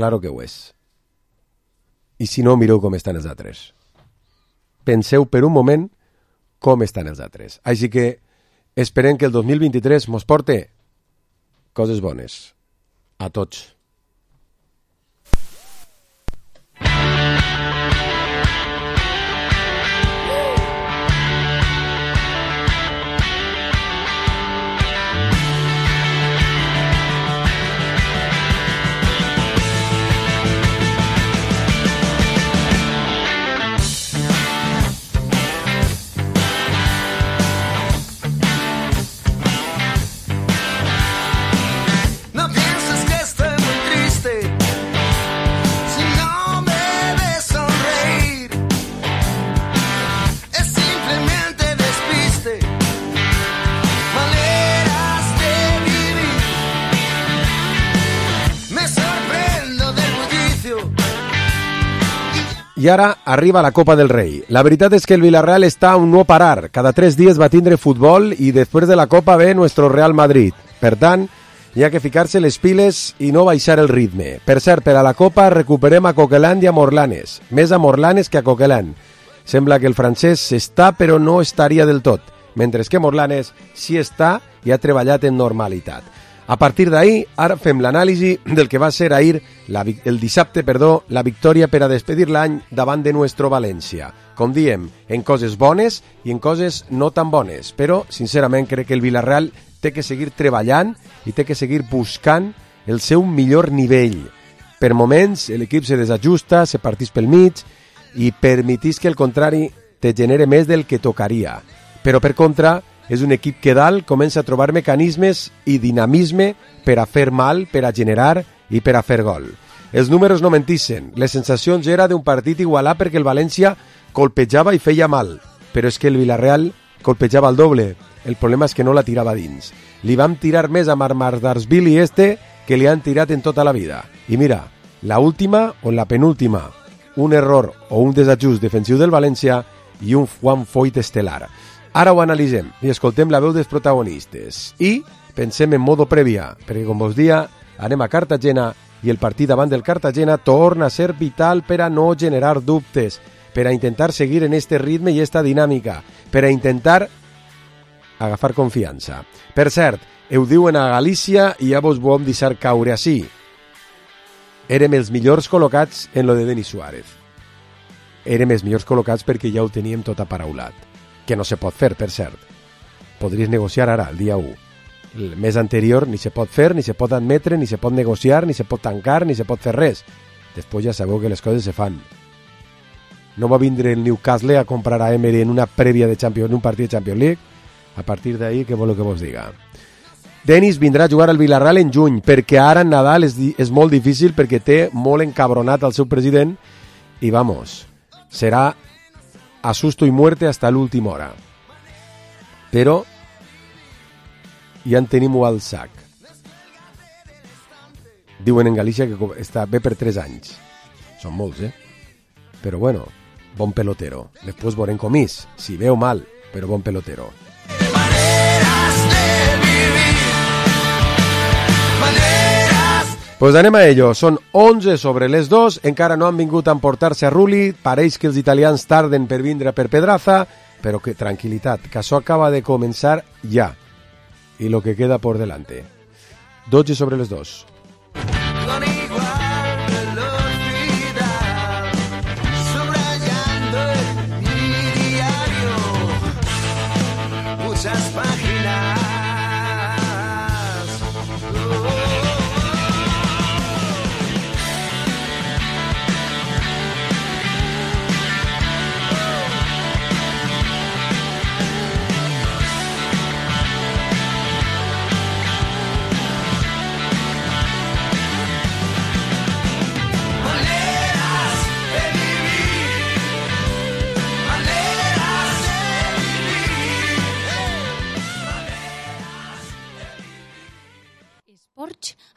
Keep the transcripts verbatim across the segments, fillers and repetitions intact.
claro que ho és. I si no, mireu com estan els altres. Penseu per un moment com estan els altres. Així que esperem que el dos mil vint-i-tres mos porte coses bones. A tots. I ara arriba la Copa del Rei. La veritat és que el Villarreal està a un no parar. Cada tres dies va tindre futbol i després de la Copa ve nuestro Real Madrid. Per tant, hi ha que ficar-se les piles i no baixar el ritme. Per cert, per a la Copa recuperem a Coquelin i a Morlanes. Més a Morlanes que a Coquelin. Sembla que el francès està però no estaria del tot, mentre que Morlanes sí està i ha treballat en normalitat. A partir d'ahir, ara fem l'anàlisi del que va ser ahir, la, el dissabte, perdó, la victòria per a despedir l'any davant de nuestro València. Com diem, en coses bones i en coses no tan bones, però, sincerament, crec que el Villarreal té que seguir treballant i té que seguir buscant el seu millor nivell. Per moments, l'equip se desajusta, se partís pel mig i permetís que el contrari te genere més del que tocaria. Però, per contra, és un equip que dalt comença a trobar mecanismes i dinamisme per a fer mal, per a generar i per a fer gol. Els números no mentissen. Les sensacions era d'un partit igualat perquè el València colpejava i feia mal, però és que el Villarreal colpejava el doble. El problema és que no la tirava dins. Li vam tirar més a Marmardarsvili este que li han tirat en tota la vida. I mira, la última o la penúltima, un error o un desajust defensiu del València i un Juan Foyt estel·lar. Ara ho analitzem i escoltem la veu dels protagonistes. I pensem en modo prèvia, perquè com vos dia, anem a Cartagena i el partit davant del Cartagena torna a ser vital per a no generar dubtes, per a intentar seguir en este ritme i esta dinàmica, per a intentar agafar confiança. Per cert, ho diuen a Galícia i ja vos vam deixar caure així. Érem els millors col·locats en lo de Denis Suárez. Érem els millors col·locats perquè ja ho teníem tot aparaulat. Que no se pot fer, per cert. Podries negociar ara, el dia u. El mes anterior ni se pot fer, ni se pot admetre, ni se pot negociar, ni se pot tancar, ni se pot fer res. Després ja sabeu que les coses se fan. No va vindre el Newcastle a comprar a Emery en una prèvia de Champions, en un partit de Champions League. A partir d'ahí, què voleu que vos diga? Denis vindrà a jugar al Villarreal en juny, perquè ara en Nadal és, és molt difícil, perquè té molt encabronat el seu president i, vamos, serà a susto y muerte hasta l'última hora. Però ja en tenim al sac. Diuen en Galícia que està bé per tres anys. Són molts, eh? Però bueno, bon pelotero. Després veurem com és. Si veu mal, però bon pelotero. Pues anem a ello. Són onze sobre les dos, encara no han vingut a emportar-se a Rulli, pareix que els italians tarden per vindre per Pedraza, però que tranquil·litat, que això acaba de començar ja, i lo que queda por delante. dotze sobre les dos.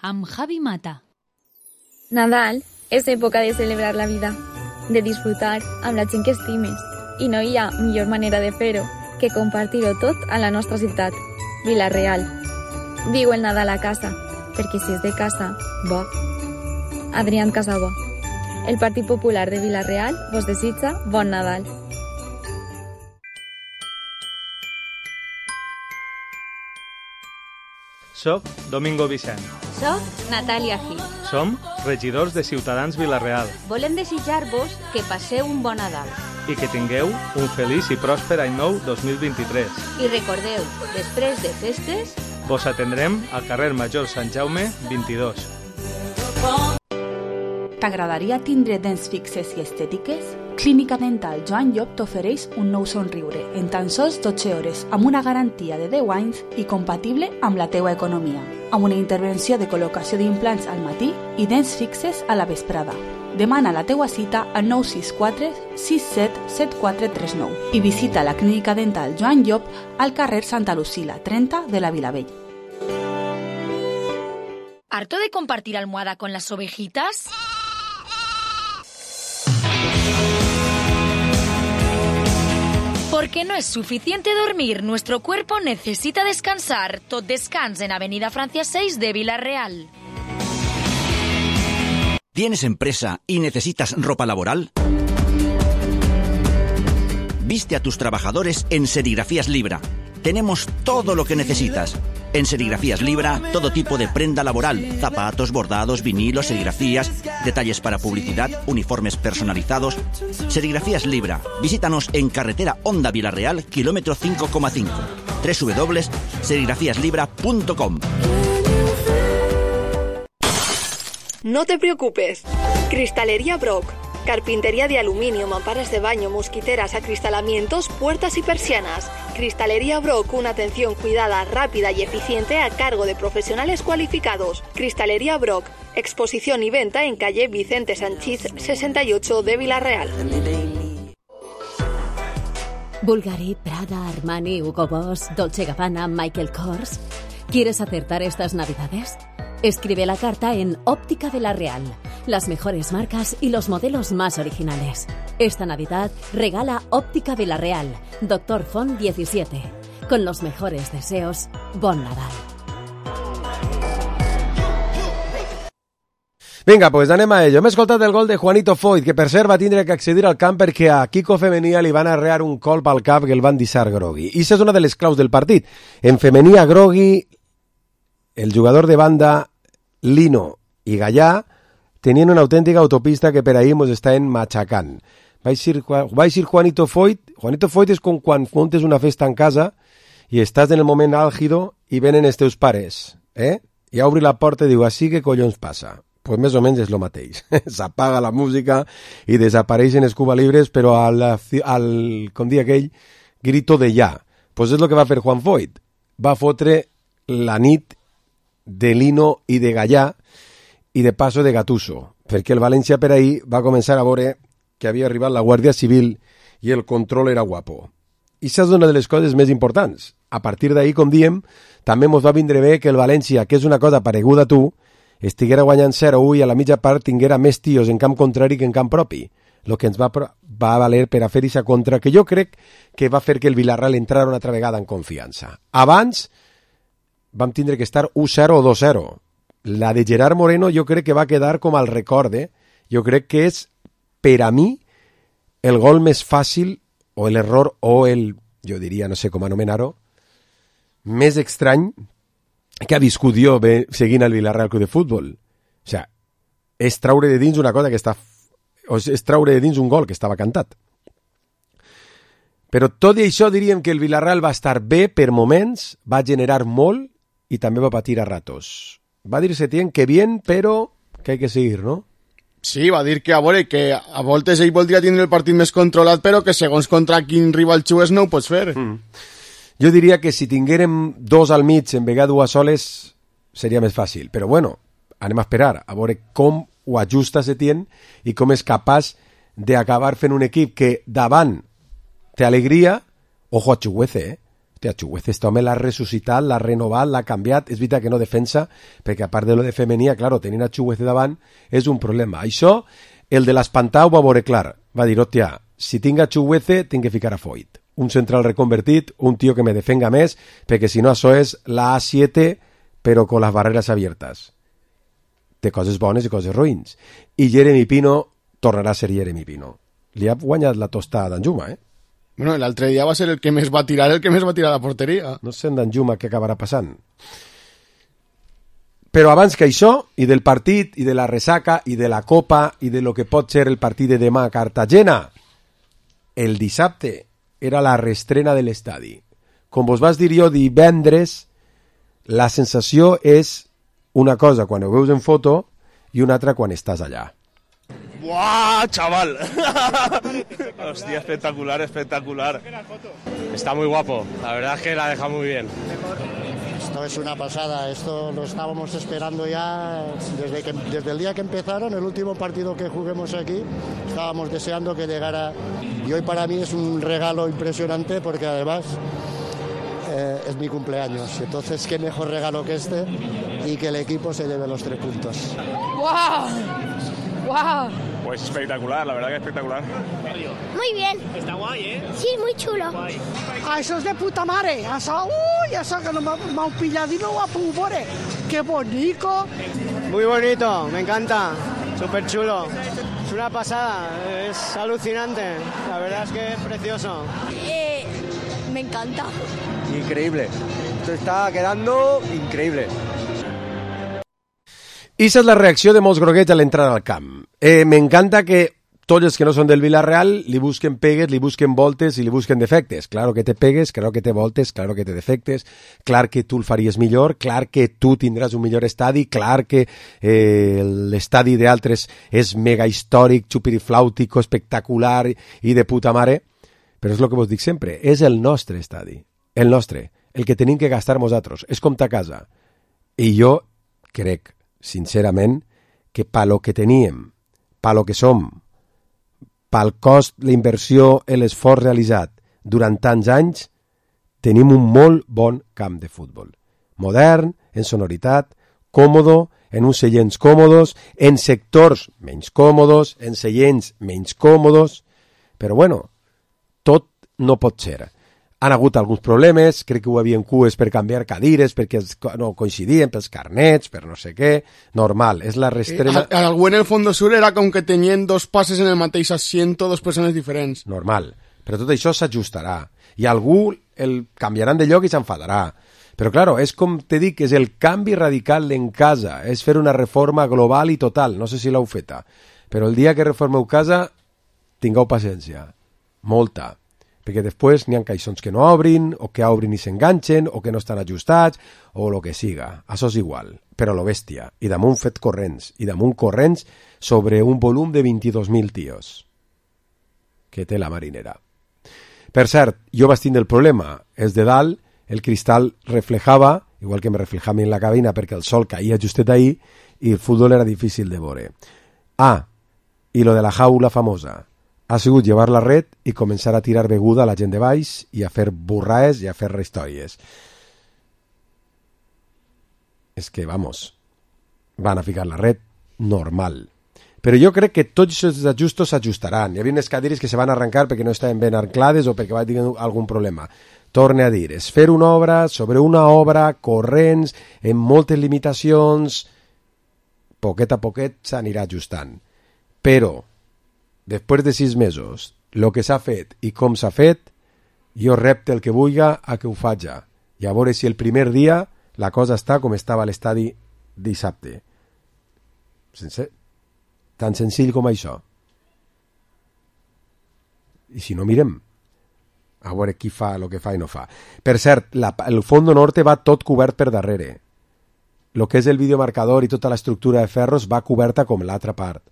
Amb Javi Mata. Nadal és època de celebrar la vida, de disfrutar amb la gent que estimes, i no hi ha millor manera de fer-ho que compartir-ho tot a la nostra ciutat, Vila-real. Viu el Nadal a casa, perquè si és de casa, bo. Adrián Casabó. El Partit Popular de Vila-real vos desitja bon Nadal. Soc Domingo Vicent. Soc Natàlia Gil. Som regidors de Ciutadans Vila-real Volem desitjar-vos que passeu un bon Nadal. i que tingueu un feliç i pròsper any nou dos mil vint-i-tres. I recordeu, després de festes, Vos atendrem al carrer Major Sant Jaume vint-i-dos. T'agradaria tindre dents fixes i estètiques? Clínica Dental Joan Llop t'ofereix un nou somriure en tan sols dotze hores amb una garantia de deu anys i compatible amb la teua economia, amb una intervenció de col·locació d'implants al matí i dents fixes a la vesprada. Demana la teua cita al nou sis quatre sis set set quatre tres nou i visita la Clínica Dental Joan Llop al carrer Santa Lucila, trenta de la Vilavella. ¿harto de compartir almohada con las ovejitas? Porque no es suficiente dormir, nuestro cuerpo necesita descansar. Tot descans en Avenida Francia seis de Vila-real. ¿Tienes empresa y necesitas ropa laboral? Viste a tus trabajadores en Serigrafías Libra. Tenemos todo lo que necesitas. En Serigrafías Libra, todo tipo de prenda laboral, zapatos, bordados, vinilos, serigrafías, detalles para publicidad, uniformes personalizados. Serigrafías Libra. Visítanos en carretera Honda Vila-real, kilómetro cinco coma cinco. doble u doble u doble u punto serigrafías libra punto com. No te preocupes. Cristalería Brock. Carpintería de aluminio, mamparas de baño, mosquiteras, acristalamientos, puertas y persianas. Cristalería Brock, una atención cuidada, rápida y eficiente a cargo de profesionales cualificados. Cristalería Brock, exposición y venta en calle Vicente Sanchís sesenta y ocho de Vila-real. Bulgari, Prada, Armani, Hugo Boss, Dolce Gabbana, Michael Kors. ¿Quieres acertar estas navidades? Escribe la carta en Óptica Vila-real. Las mejores marcas y los modelos más originales. Esta Navidad regala Óptica Vila-real, Doctor Font diecisiete. Con los mejores deseos, bon Nadal. Vinga, pues anem a ello. Hem escoltat el gol de Juanito Foyt, que per cert va tindre que accedir al camp perquè a Kiko Femenia li van arrear un colp al cap que el van deixar grogui. I això és una de les claus del partit. En femenia grogui, el jugador de banda Lino i Gallà tenien una autèntica autopista que per ahir mos estaven matxacant. Va eixir, va eixir Juanito Foyt. Juanito Foyt és com quan muntes una festa en casa i estàs en el moment àlgido i venen els teus pares, eh? I obri la porta i diu, així que collons passa? Pues més o menys és el mateix. S'apaga la música i desapareixen els Cuba Libres, però al, al, com dia aquell, grito de ja. Pues és el que va fer Juan Foyt. Va fotre la nit de Lino i de Gallà i de paso de Gattuso, perquè el València per ahir va començar a veure que havia arribat la Guàrdia Civil i el control era guapo. I això és una de les coses més importants. A partir d'ahir, com diem, també ens va vindre bé que el València, que és una cosa pareguda a tu, estiguera guanyant zero a u i a la mitja part tinguera més tios en camp contrari que en camp propi, el que ens va, va valer per a fer aquesta contra, que jo crec que va fer que el Villarreal entrara una altra vegada en confiança. Abans vam tindre que estar u zero o dos zero. La de Gerard Moreno jo crec que va quedar com al record, eh? Jo crec que és, per a mi, el gol més fàcil, o l'error, o el, jo diria, no sé com anomenar-ho, més estrany que ha viscut jo bé, seguint el Villarreal Club de Futbol. O sigui, és traure de dins una cosa que està... O és traure de dins un gol que estava cantat. Però tot i això diríem que el Villarreal va estar bé per moments, va generar molt i també va patir a ratos. Va dir Setién que bien, però que hay que seguir, no? Sí, va dir que a veure, que a voltes ell voldria tindre el partit més controlat, però que segons contra quin rival xues no ho pots fer. Mm. Jo diria que si tinguérem dos al mig en vegada dues soles seria més fàcil, però bueno, anem a esperar a veure com ho ajusta Setién i com és capaç d'acabar fent un equip que davant té alegria. Ojo a Chuguece, eh? Hòstia, Chuguece, este home l'ha ressuscitat, l'ha renovat, l'ha canviat. És veritat que no defensa, perquè a part de lo de femenia, claro, tenint a Chuguece davant és un problema. Això, el de l'espantar ho va veure clar. Va dir, hòstia, si tinc a Chuguece, tinc que ficar a Foyt. Un central reconvertit, un tío que me defenga més, perquè si no això és la A siete, però con las barreras abiertas. té coses bones i coses roïns. I Jeremy Pino tornarà a ser Jeremy Pino. Li ha guanyat la tosta a Danjuma, eh? Bueno, l'altre dia va ser el que més va tirar, el que més va tirar a la porteria. No sé en Danjuma què acabarà passant. Però abans que això, i del partit, i de la ressaca, i de la copa, i de lo que pot ser el partit de demà a Cartagena, el dissabte era la reestrena de l'estadi. Com vos vas dir jo divendres, la sensació és una cosa quan ho veus en foto i una altra quan estàs allà. ¡Buah, chaval! Hostia, espectacular, espectacular. Está muy guapo, la verdad es que la deja muy bien. Esto es una pasada, esto lo estábamos esperando ya desde, que, desde el día que empezaron, el último partido que juguemos aquí, estábamos deseando que llegara y hoy para mí es un regalo impresionante porque además eh, es mi cumpleaños, entonces qué mejor regalo que este y que el equipo se lleve los tres puntos. ¡Wow! ¡Wow! Pues espectacular, la verdad que espectacular. Muy bien. Está guay, ¿eh? Sí, muy chulo. Ah, eso es de puta madre. Eso, uy, eso que no me ha pillado y no va a poder. ¡Qué bonito! Muy bonito, me encanta. Súper chulo. Es una pasada, es alucinante. La verdad es que es precioso. Eh, me encanta. Increíble. Esto está quedando increíble. I esa és la reacció de molts groguets a l'entrada al camp. Eh, M'encanta que tots els que no són del Villarreal li busquen pegues, li busquen voltes i li busquen defectes. Claro que té pegues, claro que té voltes, claro que té defectes, clar que tu el faries millor, clar que tu tindràs un millor estadi, clar que eh, l'estadi d'altres és mega històric, xupiriflàutico, espectacular i de puta mare, però és el que vos dic sempre, és el nostre estadi, el nostre, el que tenim que gastar nosaltres, és com ta casa. I jo crec, sincerament, que pa lo que teníem, pa lo que som, pel cost, la inversió, l'esforç realitzat durant tants anys, tenim un molt bon camp de futbol. Modern, en sonoritat, còmodo, en uns seients còmodos, en sectors menys còmodos, en seients menys còmodos, però bueno, tot no pot ser. Han hagut alguns problemes, crec que ho havien cues per canviar cadires, perquè no coincidien pels carnets, per no sé què, normal, és la reestrena... Eh, algú en el Fondo Sur era com que tenien dos passes en el mateix asiento, dos persones diferents. Normal, però tot això s'ajustarà, i algú el canviaran de lloc i s'enfadarà. Però, claro, és com te dic, és el canvi radical en casa, és fer una reforma global i total, no sé si l'heu feta, però el dia que reformeu casa, tingueu paciència, molta, perquè després n'hi ha caixons que no obrin, o que obrin i s'enganxen, o que no estan ajustats, o el que siga. Això és igual, però lo bèstia. I damunt fet corrents, i damunt corrents sobre un volum de vint-i-dos mil tios que té la marinera. Per cert, jo vaig tindre el problema, és de dalt, el cristal reflejava, igual que me reflejava en la cabina perquè el sol caïa justet ahí, i el futbol era difícil de veure. Ah, i lo de la jaula famosa. Ha sigut llevar la red i començar a tirar beguda a la gent de baix i a fer burraes i a fer històries. És que, vamos, van a ficar la red normal. Però jo crec que tots aquests ajustos s'ajustaran. Hi havia unes cadires que se van arrencar perquè no estaven ben anclades o perquè va tenir algun problema. Torne a dir, és fer una obra sobre una obra, corrents, amb moltes limitacions, poquet a poquet s'anirà ajustant. Però després de sis mesos, el que s'ha fet i com s'ha fet, jo repte el que vulga a que ho faja. I a veure si el primer dia la cosa està com estava a l'estadi dissabte. Sense... Tan senzill com això. I si no, mirem. A veure qui fa el que fa i no fa. Per cert, la, el Fondo Norte va tot cobert per darrere. El que és el videomarcador i tota l'estructura de ferros va coberta com l'altra part.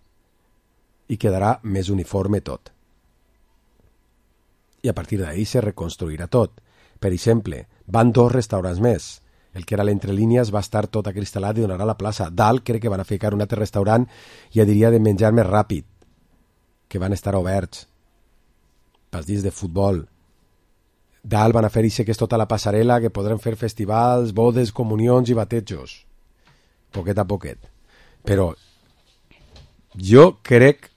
I quedarà més uniforme tot. I a partir d'ahí se reconstruirà tot. Per exemple, van dos restaurants més. El que era l'entrelínies va estar tot acristal·lat i donarà la plaça. Dalt crec que van a ficar un altre restaurant, ja diria de menjar més ràpid, que van estar oberts pels dies de futbol. Dalt van a fer ixe que és tota la passarel·la, que podrem fer festivals, bodes, comunions i batejos. Poquet a poquet. Però jo crec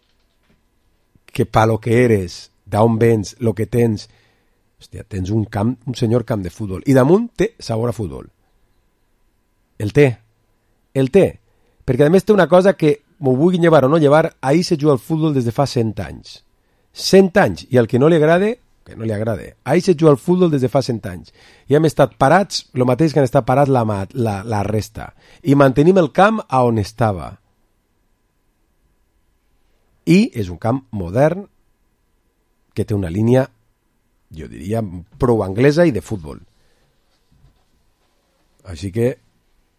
que pa lo que eres, d'on vens, lo que tens, hòstia, tens un camp, un senyor camp de futbol. I damunt té sabor a futbol. El té. El té. perquè a més té una cosa que m'ho vulguin llevar o no llevar, ahir se juga al futbol des de fa cent anys. cent anys, i al que no li agrade, que no li agrade, ahir se juga al futbol des de fa cent anys. I hem estat parats, el mateix que han estat parats la, la, la resta. I mantenim el camp a on estava. I és un camp modern que té una línia, jo diria, prou anglesa i de futbol. Així que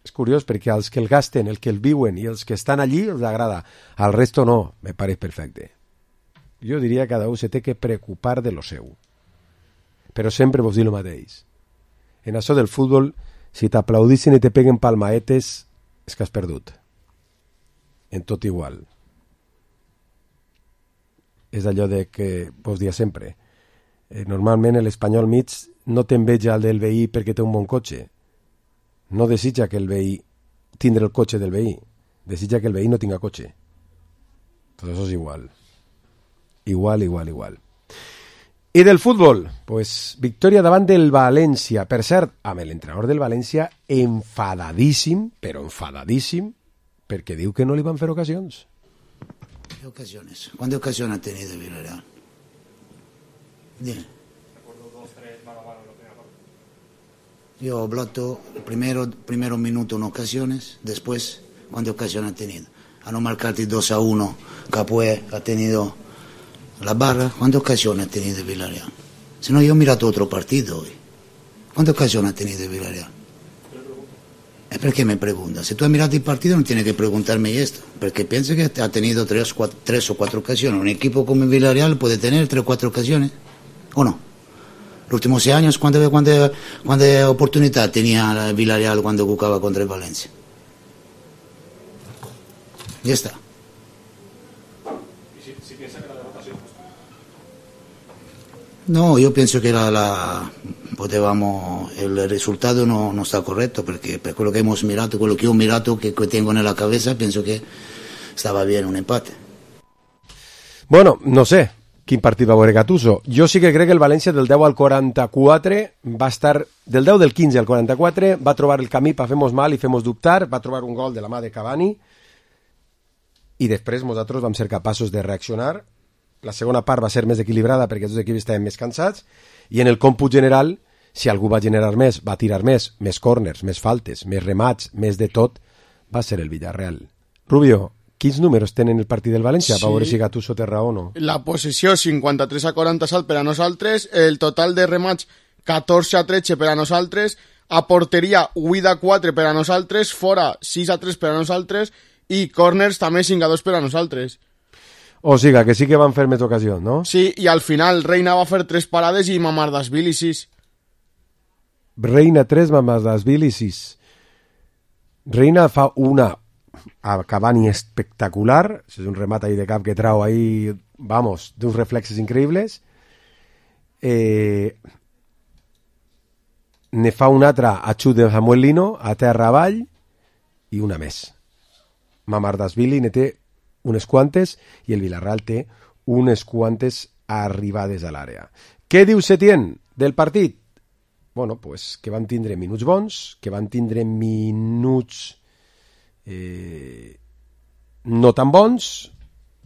és curiós perquè els que el gasten, els que el viuen i els que estan allí els agrada. Al resto no, me pareix perfecte. Jo diria que cada un se té que preocupar de lo seu. Però sempre vos dic el mateix. En això del futbol, si t'aplaudissin i te peguen palmaetes, és que has perdut. En tot igual. És allò de que vos dia sempre. Eh, normalment l'espanyol mig no t'enveja el del veí perquè té un bon cotxe. No desitja que el veí tindre el cotxe del veí. Desitja que el veí no tinga cotxe. Tot això és igual. Igual, igual, igual. I del futbol, pues, victòria davant del València. Per cert, amb l'entrenador del València enfadadíssim, però enfadadíssim, perquè diu que no li van fer ocasions. ¿Qué ocasiones? ¿Cuántas ocasiones ha tenido el Villarreal? Dime. Yo he hablado primero, primero minuto en ocasiones, después, ¿cuántas ocasiones ha tenido? A no marcarte dos a uno, Capué ha tenido la barra, ¿cuántas ocasiones ha tenido el Villarreal? Si no, yo he mirado otro partido hoy. ¿Cuántas ocasiones ha tenido el Villarreal? ¿Es por qué me preguntas? Si tú has mirado el partido no tienes que preguntarme esto, porque pienso que ha tenido tres, cuatro, tres o cuatro ocasiones. Un equipo como el Villarreal puede tener tres o cuatro ocasiones, ¿o no? Los últimos seis años, ¿cuántas cuánta, cuánta oportunidad tenía el Villarreal cuando jugaba contra el Valencia? Ya está. ¿Y si, si piensa que la derrota ha sido justa? No, yo pienso que la, la potevamo, el resultado no, no está correcto, porque per quello che hemos mirato, quello che ho mirato, che, che tengo nella cabeza, penso che stava bien un empate. Bueno, no sé quin partit va veure Gattuso. Jo sí que crec que el València del deu al quaranta-quatre va estar, del deu del quinze al quaranta-quatre, va trobar el camí per fer-nos mal i fer-nos dubtar, va trobar un gol de la mà de Cavani i després nosaltres vam ser capaços de reaccionar. La segona part va ser més equilibrada perquè els dos equips estaven més cansats i en el còmput general, si algú va generar més, va tirar més, més corners, més faltes, més remats, més de tot, va ser el Villarreal. Rubio, quins números tenen el partit del València? Sí. Per veure si Gattuso té raó o no. La possessió cinquanta-tres a quaranta salt per a nosaltres, el total de remats catorze a tretze per a nosaltres, a porteria vuit a quatre per a nosaltres, fora sis a tres per a nosaltres i corners també cinc a dos per a nosaltres. O sigui, que sí que van fer més ocasions, no? Sí, i al final Reina va fer tres parades i Mamardashvili sis. Reina tres, Mamardashvili sis. Reina fa una a Cavani espectacular, és un remat ahí de cap que trau ahí, vamos, d'uns reflexes increïbles. Eh, ne fa una altra a xut de Samuel Lino, a terra avall, i una més. Mamardashvili ne té unes quantes i el Villarreal té unes quantes arribades a l'àrea. Què diu Setién del partit? Bueno, pues que van tindre minuts bons, que van tindre minuts eh, no tan bons,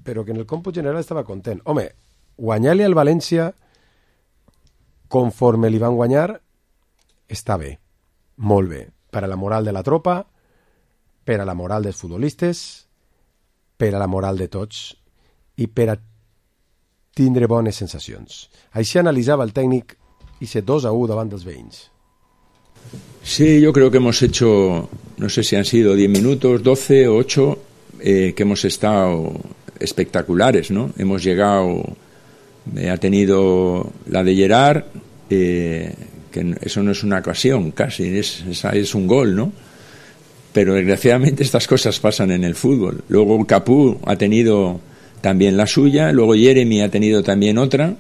però que en el còmput general estava content. Home, guanyar-li al València conforme li van guanyar està bé, molt bé, per a la moral de la tropa, per a la moral dels futbolistes, per a la moral de tots i per a tindre bones sensacions. Així analitzava el tècnic ese dos a uno davant dels veïns. Sí, yo creo que hemos hecho, no sé si han sido diez minutos, doce o ocho, eh, que hemos estado espectaculares, ¿no? Hemos llegado, eh, ha tenido la de Gerard, eh, que eso no es una ocasión casi, es, es, es un gol, ¿no? Pero desgraciadamente estas cosas pasan en el fútbol. Luego Capú ha tenido también la suya, luego Jeremy ha tenido también otra,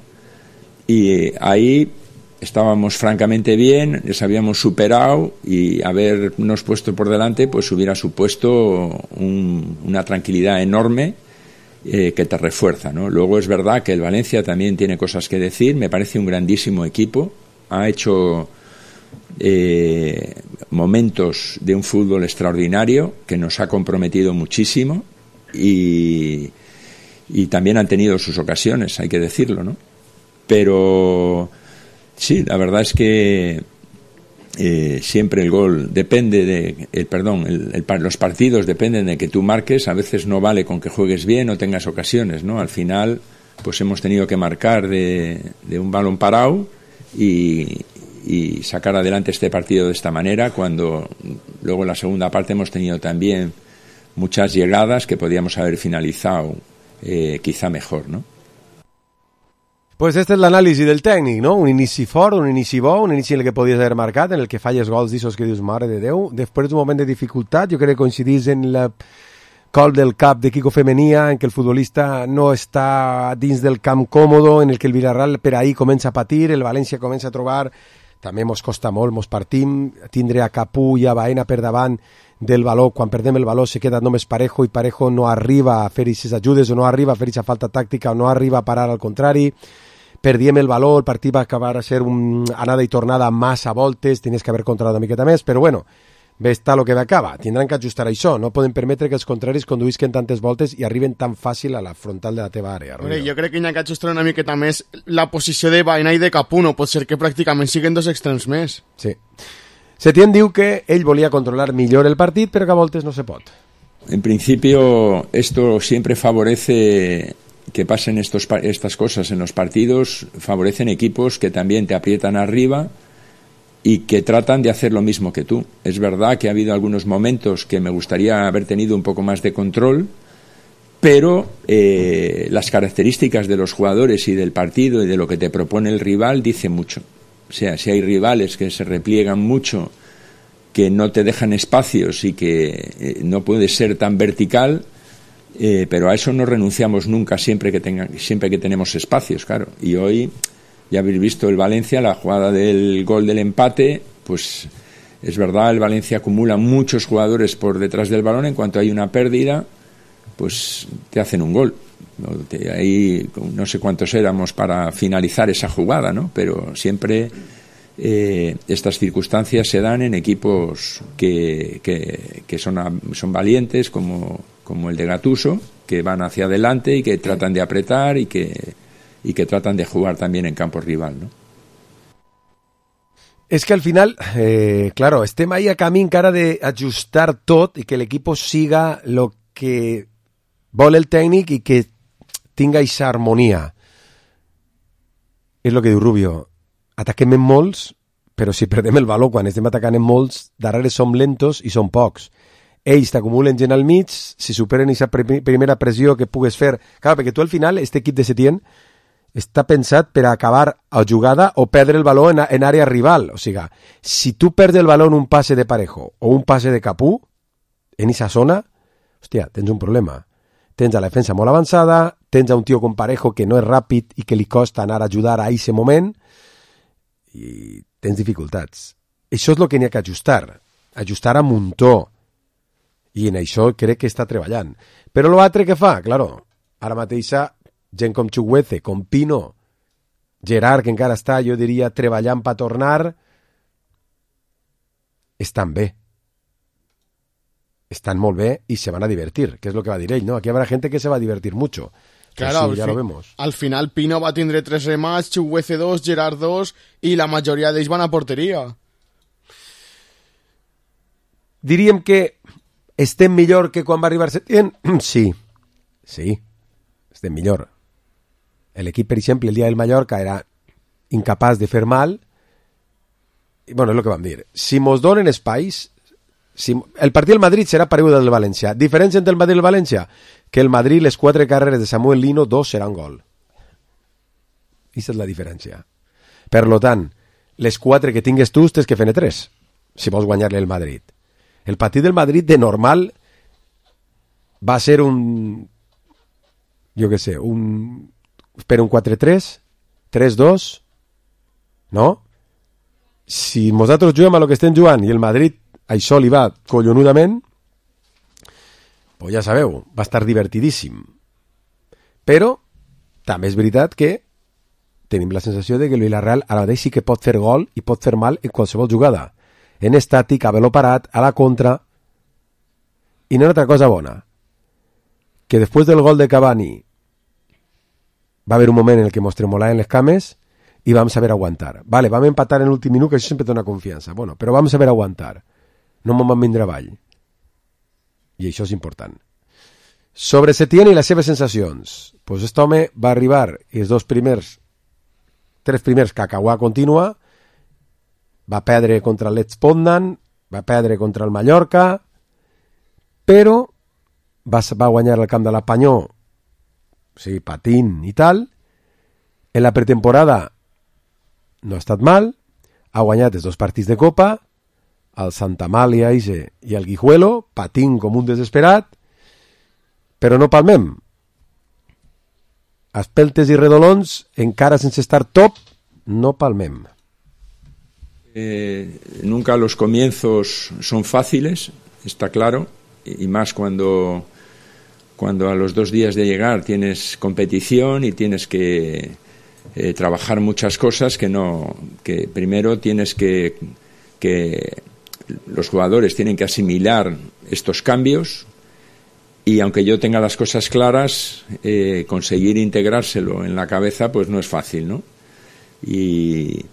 y ahí estábamos francamente bien, les habíamos superado y habernos puesto por delante pues hubiera supuesto un, una tranquilidad enorme eh, que te refuerza, ¿no? Luego es verdad que el Valencia también tiene cosas que decir, me parece un grandísimo equipo, ha hecho eh, momentos de un fútbol extraordinario que nos ha comprometido muchísimo y, y también han tenido sus ocasiones, hay que decirlo, ¿no? Pero sí, la verdad es que eh, siempre el gol depende de, el perdón, el, el, los partidos dependen de que tú marques. A veces no vale con que juegues bien o tengas ocasiones, ¿no? Al final, pues hemos tenido que marcar de, de un balón parado y, y sacar adelante este partido de esta manera, cuando luego en la segunda parte hemos tenido también muchas llegadas que podíamos haber finalizado eh, quizá mejor, ¿no? Pues este és l'anàlisi del tècnic, no? Un inici fort, un inici bo, un inici en el que podies haver marcat, en el que falles gols d'issos que dius, mare de Déu. Després d'un moment de dificultat, jo crec que coincidís en la col del cap de Kiko Femenia, en què el futbolista no està dins del camp còmodo, en el que el Villarreal per ahí comença a patir, el València comença a trobar, també mos costa molt, mos partim, tindre a Capú i a Baena per davant del valor, quan perdem el valor se queda només Parejo i Parejo no arriba a fer aquestes ajudes o no arriba a fer aquesta falta tàctica o no arriba a parar al contrari. Perdíem el valor, el partit va acabar a ser un anada i tornada massa voltes, tenies que haver controlat una miqueta més, però bueno, bé està el que va acabar. Tindran que ajustar això, no poden permetre que els contraris conduïsquen tantes voltes i arriben tan fàcil a la frontal de la teva àrea. Hombre, jo crec que hi ha que ajustar una miqueta més la posició de Baena i de Capú, no pot ser que pràcticament siguen dos extrems més. Sí. Setién diu que ell volia controlar millor el partit, però que a voltes no se pot. En principio, esto siempre favorece que pasen estos, estas cosas en los partidos, favorecen equipos que también te aprietan arriba y que tratan de hacer lo mismo que tú. Es verdad que ha habido algunos momentos que me gustaría haber tenido un poco más de control, pero eh, las características de los jugadores y del partido y de lo que te propone el rival dicen mucho. O sea, si hay rivales que se repliegan mucho, que no te dejan espacios y que eh, no puedes ser tan vertical, Eh, pero a eso no renunciamos nunca siempre que tenga, siempre que tenemos espacios, claro. Y hoy ya habéis visto el Valencia, la jugada del gol del empate, pues es verdad, el Valencia acumula muchos jugadores por detrás del balón, en cuanto hay una pérdida, pues te hacen un gol. Ahí no sé cuántos éramos para finalizar esa jugada, ¿no? Pero siempre eh, estas circunstancias se dan en equipos que, que, que son, son valientes, como como el de Gattuso, que van hacia adelante y que tratan de apretar y que, y que tratan de jugar también en campo rival, ¿no? És que al final, eh, claro, estem ahí a camí encara d'ajustar tot i que l'equip siga lo que vol el tècnic i que tinga aquesta harmonia. És el que diu Rubio, ataquem en molts, però si perdem el valor quan estem atacant en molts, darrere som lentos i som pocs. Ells t'acumulen gent al mig, si superen aquesta primera pressió que pugues fer. Clar, perquè tu al final, este equip de Setién està pensat per a acabar a jugada o perdre el valor en, en àrea rival. O sigui, si tu perds el valor en un passe de Parejo o un passe de Capú, en aquesta zona, hòstia, tens un problema. Tens a la defensa molt avançada, tens a un tio com Parejo que no és ràpid i que li costa anar a ajudar a aquest moment i tens dificultats. Això és el que n'hi ha que ajustar. Ajustar a muntó. I en això crec que està treballant. Però l'altre que fa, claro, ara mateixa gent com Chukwueze, com Pino, Gerard, que encara està, jo diria, treballant per tornar, estan bé. Estan molt bé i se van a divertir, que és el que va dir ell, ¿no? Aquí habrá gente que se va a divertir mucho. Claro, sí, ya fin, lo vemos. Al final Pino va a tindre tres remats, Chukwueze dos, Gerard dos i la majoria d'ells van a porteria. Diríem que estem millor que quan va arribar Setién? Sí, sí, estem millor. L'equip, per exemple, el dia del Mallorca era incapaç de fer mal. I, bueno, és el que vam dir. Si mos donen espais, si, el partit del Madrid serà paregut al del València. Diferència entre el Madrid i el València? Que el Madrid, les quatre carreres de Samuel Lino, dos seran gol. Aquesta és la diferència. Per lo tant, les quatre que tingues tu, tens que fer-ne tres, si vols guanyar-li el Madrid. El partit del Madrid de normal va ser un, jo què sé, un, per un quatre tres, tres dos, no? Si nosaltres juguem a lo que estem jugant i el Madrid això li va collonudament, pues ja sabeu, va estar divertidíssim. Però també és veritat que tenim la sensació de que el Villarreal ara mateix sí que pot fer gol i pot fer mal en qualsevol jugada. En estàtic, a velo parat, a la contra. I no hi ha altra cosa bona, que després del gol de Cavani va haver un moment en el que mos tremolaven les cames i vam saber aguantar. Vale, vam empatar en l'últim minut, que això sempre dona confiança. Bueno, però vam saber aguantar. No m'ho vam vindre avall. I això és important. Sobre Setién i les seves sensacions. Pues aquest home va arribar i els dos primers, tres primers cacauà contínua, va perdre contra el Lech Poznan, va perdre contra el Mallorca, però va, va guanyar el camp de l'Espanyol, o sigui, patint i tal. En la pretemporada no ha estat mal, ha guanyat els dos partits de Copa, el Santa Amàlia i el Guijuelo, patint com un desesperat, però no palmem. Espeltes i redolons, encara sense estar top, no palmem. Eh, nunca los comienzos son fáciles, está claro, y más cuando, cuando a los dos días de llegar tienes competición y tienes que eh, trabajar muchas cosas que no, que primero tienes que, que los jugadores tienen que asimilar estos cambios. Y aunque yo tenga las cosas claras, eh, conseguir integrárselo en la cabeza pues no es fácil, ¿no? Y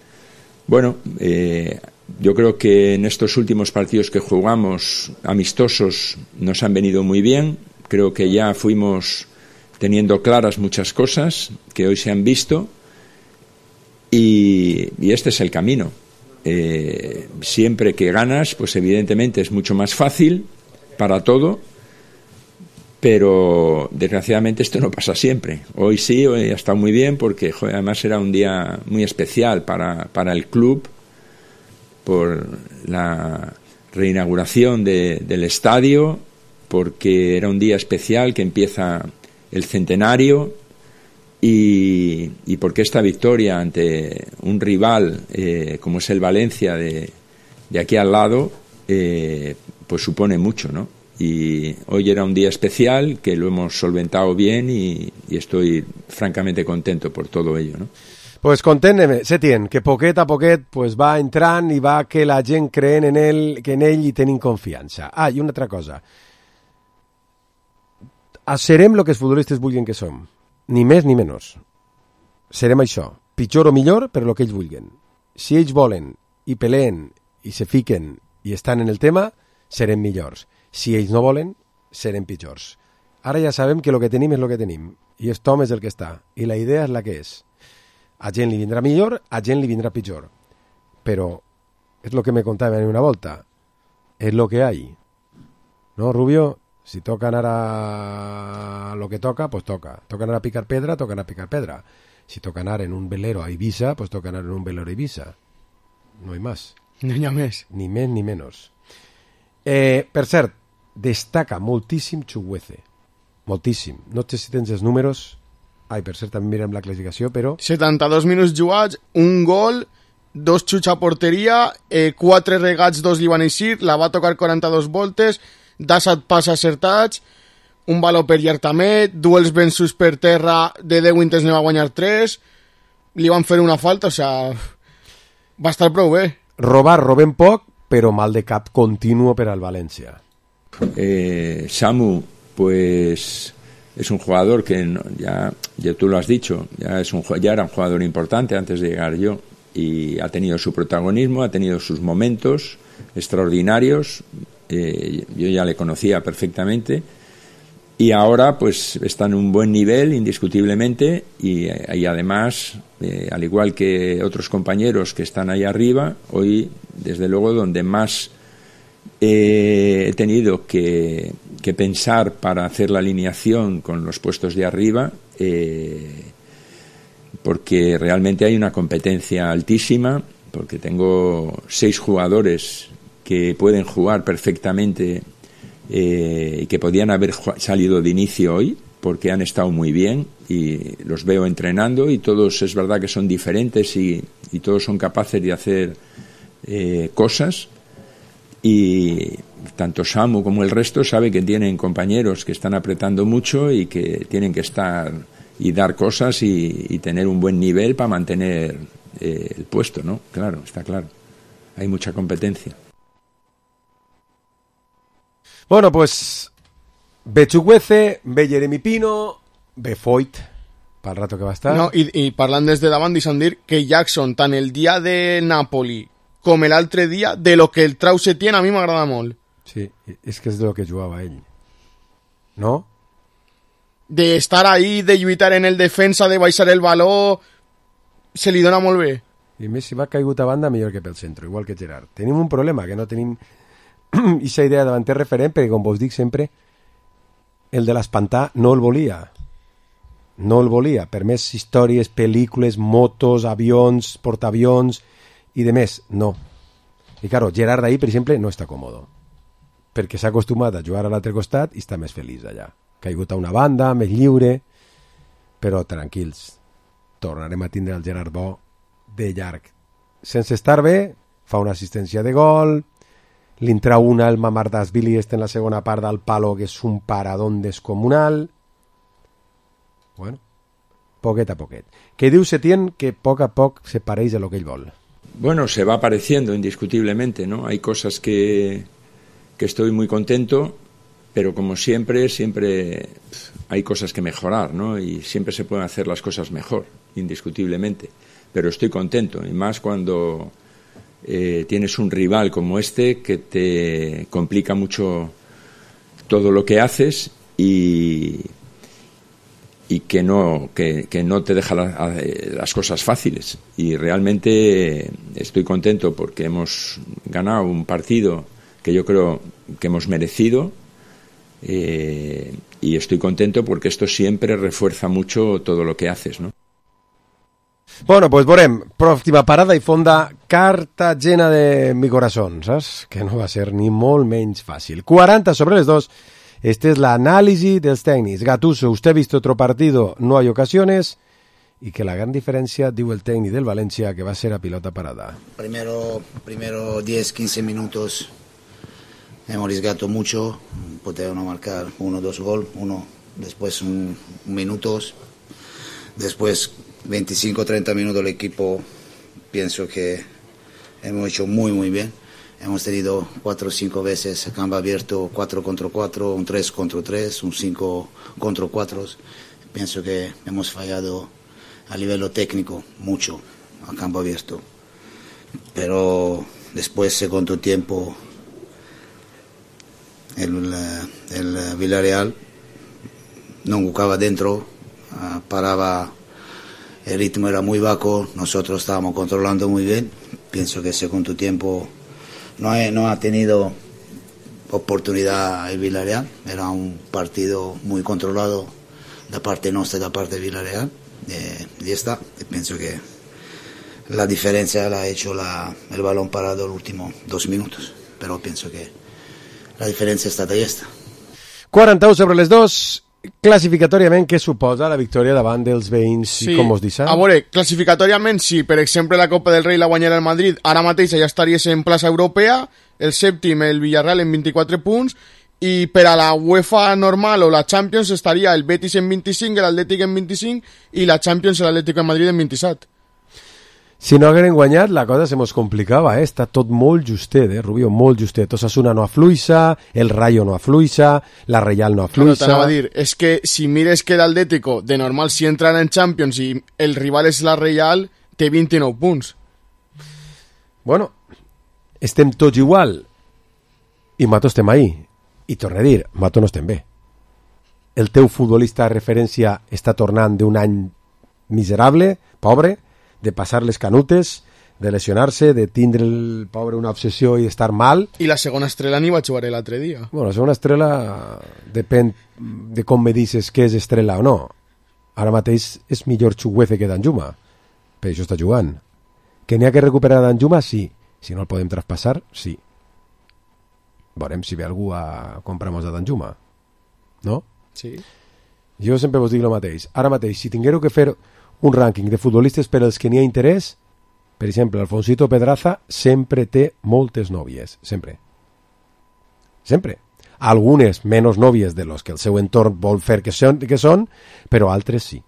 bueno, eh, yo creo que en estos últimos partidos que jugamos amistosos nos han venido muy bien. Creo que ya fuimos teniendo claras muchas cosas que hoy se han visto y, y este es el camino. Eh, siempre que ganas, pues evidentemente es mucho más fácil para todo. Pero desgraciadamente esto no pasa siempre. Hoy sí, hoy ha estado muy bien porque joder, además era un día muy especial para, para el club por la reinauguración de, del estadio, porque era un día especial que empieza el centenario y, y porque esta victoria ante un rival eh, como es el Valencia de, de aquí al lado eh, pues supone mucho, ¿no? Y hoy era un día especial que lo hemos solventado bien y, y estoy francamente contento por todo ello, ¿no? Pues content, Setién, que poquet a poquet pues va entrant i va que la gent creen en ell, que en ell hi tenim confiança. Ah, i una altra cosa. Serem el que els futbolistes vulguin que som. Ni més ni menys. Serem això. Pitjor o millor, però el que ells vulguin. Si ells volen i peleen i se fiquen i estan en el tema, serem millors. Si ells no volen, serem pitjors. Ara ja sabem que el que tenim és el que tenim. I aquest home és el que està. I la idea és la que és. A gent li vindrà millor, a gent li vindrà pitjor. Però és el que me contaven una volta. És el que hay. ¿No, Rubio? Si toca anar a lo que toca, pues toca. Toca anar a picar pedra, toca anar a picar pedra. Si toca anar en un velero a Ibiza, pues toca anar en un velero a Ibiza. No hi més. No hi ha més. Ni més ni menys. Eh, per cert, destaca moltíssim Chukwueze. Moltíssim. No sé si tens els números. Ai, per cert, també mirem la classificació, però... setanta-dos minuts jugats, un gol, dos xuts a porteria, eh, quatre regats, dos li van eixir, la va tocar quaranta-dos voltes, set passes acertats, un valor per llarg també, duels vençuts per terra, de deu intents ne va guanyar tres, li van fer una falta, o sea, va estar prou bé. Robar, robem poc, però mal de cap continuo per al València. Eh, Samu, pues es un jugador que no, ya, ya tú lo has dicho, ya, es un, ya era un jugador importante antes de llegar yo y ha tenido su protagonismo, ha tenido sus momentos extraordinarios, eh, yo ya le conocía perfectamente y ahora pues está en un buen nivel indiscutiblemente y, y además eh, al igual que otros compañeros que están ahí arriba, hoy desde luego donde más eh, he tenido que, que pensar para hacer la alineación con los puestos de arriba eh, porque realmente hay una competencia altísima, porque tengo seis jugadores que pueden jugar perfectamente eh, y que podían haber salido de inicio hoy porque han estado muy bien y los veo entrenando y todos es verdad que son diferentes y, y todos son capaces de hacer eh, cosas y tanto Samu como el resto sabe que tienen compañeros que están apretando mucho y que tienen que estar y dar cosas y, y tener un buen nivel para mantener eh, el puesto, ¿no? Claro, está claro. Hay mucha competencia. Bueno, pues ve Chukwueze, ve Jeremy Pino, ve Foyt, para el rato que va a estar. No, i, i parlant des de davant, deixa'm dir que Jackson, tant el dia de Napoli com l'altre dia, de lo que el trau Setién, a mi m'agrada molt. Sí, és que és de lo que jugava ell. No? De estar ahí, de lluitar en el defensa, de baixar el baló, se li dona molt bé. I més, si va caigut a banda, millor que pel centre, igual que Gerard. Tenim un problema, que no tenim aquesta idea de davanter referent, perquè com vos dic sempre, el de l'espantar no el volia. No el volia. Per més històries, pel·lícules, motos, avions, portaavions i de més, no. I claro, Gerard ahí, per exemple, no està còmodo. Perquè s'ha acostumat a jugar a l'altre costat i està més feliç allà. Caigut a una banda, més lliure, però tranquils. Tornarem a tindre el Gerard bo de llarg. Sense estar bé, fa una assistència de gol, li entra una el Mamardashvili este en la segona part del palo, que és un paradón descomunal. Bueno, poquet a poquet. Que diu Setién que poc a poc se pareix a lo que ell vol. Bueno, se va apareciendo indiscutiblemente, ¿no? Hay cosas que, que estoy muy contento, pero como siempre, siempre hay cosas que mejorar, ¿no? Y siempre se pueden hacer las cosas mejor, indiscutiblemente. Pero estoy contento, y más cuando eh, tienes un rival como este que te complica mucho todo lo que haces y, y que no, que, que no te deja la, las cosas fáciles. Y realmente estoy contento porque hemos ganado un partido que yo creo que hemos merecido, eh, y estoy contento porque esto siempre refuerza mucho todo lo que haces, ¿no? Bueno, pues veurem. Pròxima parada i fonda Cartagena de mi corazón, saps? Que no va ser ni molt menys fàcil. quaranta sobre les dos. Esta es la análisis dels tècnics. Gattuso, usted ha visto otro partido, no hay ocasiones, y que la gran diferencia, diu el técnico del Valencia, que va a ser a pilota parada. Primero, primero diez quince minutos hemos arriesgado mucho, podemos marcar uno dos gol, uno después un, un minutos, después veinticinco treinta minutos el equipo, pienso que hemos hecho muy muy bien. Hemos tenido cuatro o cinco veces campo abierto, cuatro contra cuatro, un tres contra tres, un cinco contra cuatro. Pienso que hemos fallado a nivel técnico mucho a campo abierto. Pero después, segundo tiempo, el, el Villarreal no jugaba dentro, paraba, el ritmo era muy bajo, nosotros estábamos controlando muy bien. Pienso que el segundo tiempo no ha, no ha tenido oportunidad el Villarreal, era un partido muy controlado de parte nuestra y de parte del Villarreal, eh, y está, y pienso que la diferencia la ha hecho la, el balón parado los últimos dos minutos, pero pienso que la diferència està ahí està. quaranta-u sobre les dos, classificatòriament, què suposa la victòria davant dels veïns, sí. Com us disseu? A veure, classificatòriament, sí, per exemple, la Copa del Rei la guanyarà el Madrid, ara mateix ja estaries en plaça europea, el sèptim, el Villarreal, en vint-i-quatre punts, i per a la UEFA normal o la Champions estaria el Betis en vint-i-cinc, l'Atlètic en vint-i-cinc, i la Champions l'Atlètic de Madrid en vint-i-set. Si no hagueren guanyat, la cosa se mos complicava, eh? Està tot molt justet, eh, Rubio, molt justet. Osasuna no afluixa, el Rayo no afluixa, la Real no afluixa... Claro, t'anava a dir, és que si mires que l'Atlético, de normal, si entran en Champions i el rival és la Real, té vint-i-nou punts. Bueno, estem tots igual, i Mato estem ahí. I torno a dir, Mato no estem bé. El teu futbolista de referència està tornant d'un any miserable, pobre, de passar les canutes, de lesionar-se, de tindre el pobre una obsessió i estar mal. I la segona estrella n'hi va jugar l'altre dia. Bueno, la segona estrella depèn de com me dices que és estrella o no. Ara mateix és millor Chukwueze que Danjuma, per això està jugant. Que n'hi ha que recuperar Danjuma, sí. Si no el podem traspassar, sí. Veurem si ve algú a comprar-nos a Danjuma. No? Sí. Jo sempre vos dic el mateix. Ara mateix, si tinguéreu que fer un rànquing de futbolistes per als que n'hi ha interès, per exemple, Alfonsito Pedraza sempre té moltes nòvies, sempre. Sempre. Algunes menys nòvies de los que el seu entorn vol fer que són, que són, però altres sí.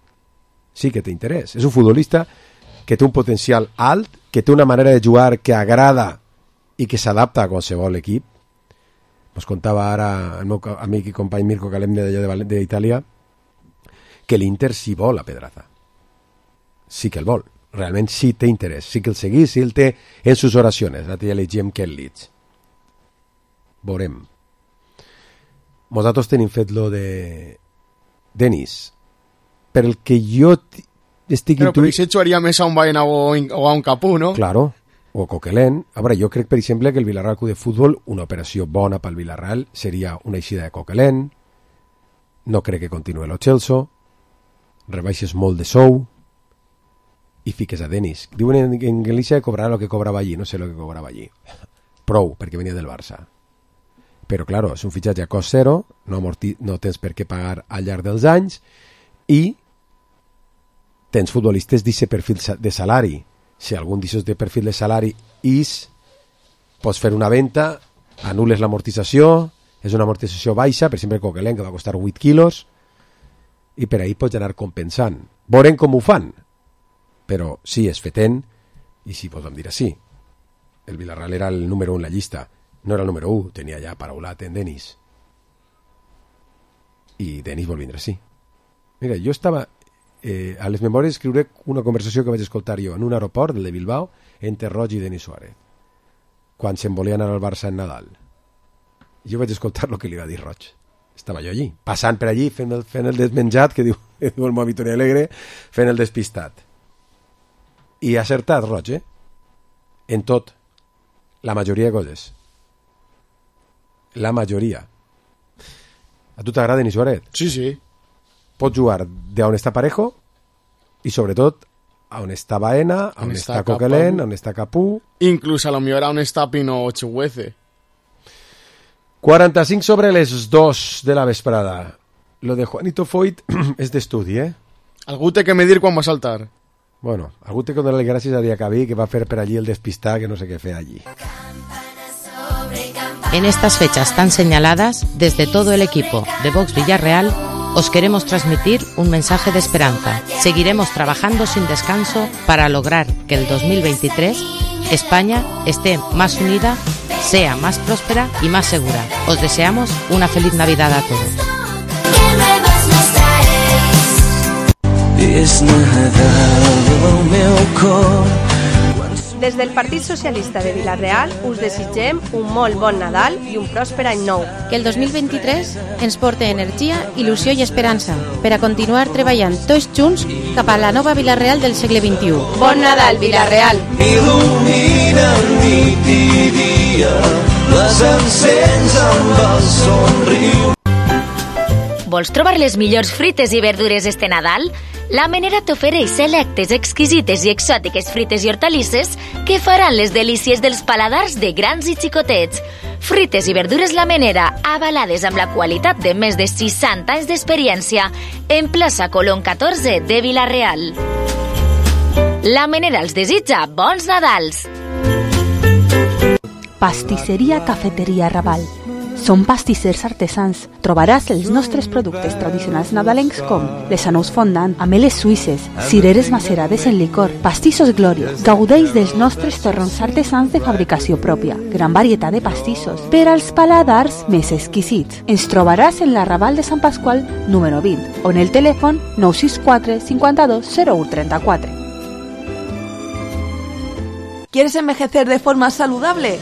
sí que té interès. És un futbolista que té un potencial alt, que té una manera de jugar que agrada i que s'adapta a qualsevol equip. Ens contava ara el meu amic i company Mirko Calem d'Itàlia que l'Inter sí vol a Pedraza. Sí que el vol. Realment sí té interès. Sí que el seguís, sí el té en sus oracions. L'altre dia llegíem que el Leeds. Veurem. Nosaltres tenim fet lo de Denis. Per el que jo estic Però per això jugaria més a un Baena o a un Capú, no? Claro. O Coquelin. A veure, jo crec, per exemple, que el Villarreal Club de Futbol, una operació bona pel Villarreal, seria una eixida de Coquelin. No crec que continuï lo Chelsea. Rebaixes molt de sou i fiques a Denis. Diuen en, en Galícia que cobrarà el que cobrava allí. No sé el que cobrava allí. Prou, perquè venia del Barça. Però, claro, és un fitxatge a cost zero, no, amorti, no tens per què pagar al llarg dels anys i tens futbolistes d'aquest perfil de salari. Si algun d'aquests de perfil de salari és, pots fer una venda, anules l'amortització, és una amortització baixa, per exemple Coquelin, que va costar vuit quilos, i per ahí pots anar compensant. Veurem com ho fan, però sí, és fetent, i sí, podem dir així. El Villarreal era el número u en la llista, no era el número u, tenia ja paraulat en Denis. I Denis vol vindre així. Mira, jo estava... Eh, a les memòries escriuré una conversació que vaig escoltar jo en un aeroport, el de Bilbao, entre Roig i Denis Suárez, quan se'n volia anar al Barça en Nadal. Jo vaig escoltar el que li va dir Roig. Estava jo allí, passant per allí, fent el, fent el desmenjat, que diu, que diu el meu Vittoria Alegre, fent el despistat. I ha acertat Roig, eh? En tot. La majoria de coses. La majoria. A tu t'agrada Denis Suárez? Sí, sí. Pots jugar d'on està Parejo i sobretot on està Baena, on, on està, està Coquelin, on està Capú, inclús a lo millor on està Pino Chihueze. quaranta-cinc sobre les dos de la vesprada. Lo de Juanito Foyt és d'estudi, eh? Algú té que medir quan va saltar. Bueno, algú té que donar-li gràcies a Diacabí, que va fer per allí el despistar, que no sé què fer allí. En estas fechas tan señaladas, desde todo el equipo de Vox Villarreal, os queremos transmitir un mensaje de esperanza. Seguiremos trabajando sin descanso para lograr que el dos mil veintitrés España esté más unida, sea más próspera y más segura. Os deseamos una feliz Navidad a todos. Des del Partit Socialista de Vila-real us desitgem un molt bon Nadal i un pròsper any nou. Que el dos mil vint-i-tres ens porti energia, il·lusió i esperança per a continuar treballant tots junts cap a la nova Vila-real del segle vint-i-u. Bon Nadal, Vila-real! Il·lumina nit i dia, les encens amb el somriure. Vols trobar les millors frites i verdures este Nadal? La Menera t'ofereix selectes, exquisites i exòtiques frites i hortalisses que faran les delícies dels paladars de grans i xicotets. Frites i verdures La Menera, avalades amb la qualitat de més de seixanta anys d'experiència, en plaça Colón catorze de Vila-real. La Menera els desitja bons Nadals! Pastisseria Cafeteria Raval. Som pastissers artesans. Trobaràs els nostres productes tradicionals nadalencs com les anous fondant, ameles suïsses, cireres macerades en licor, pastissos Glòria. Gaudeix dels nostres torrons artesans de fabricació pròpia. Gran varietat de pastissos per als paladars més exquisits. Ens trobaràs en la Raval de Sant Pasqual número vint o en el telèfon nou sis quatre cinquanta-dos zero u trenta-quatre. ¿Quieres envejecer de forma saludable?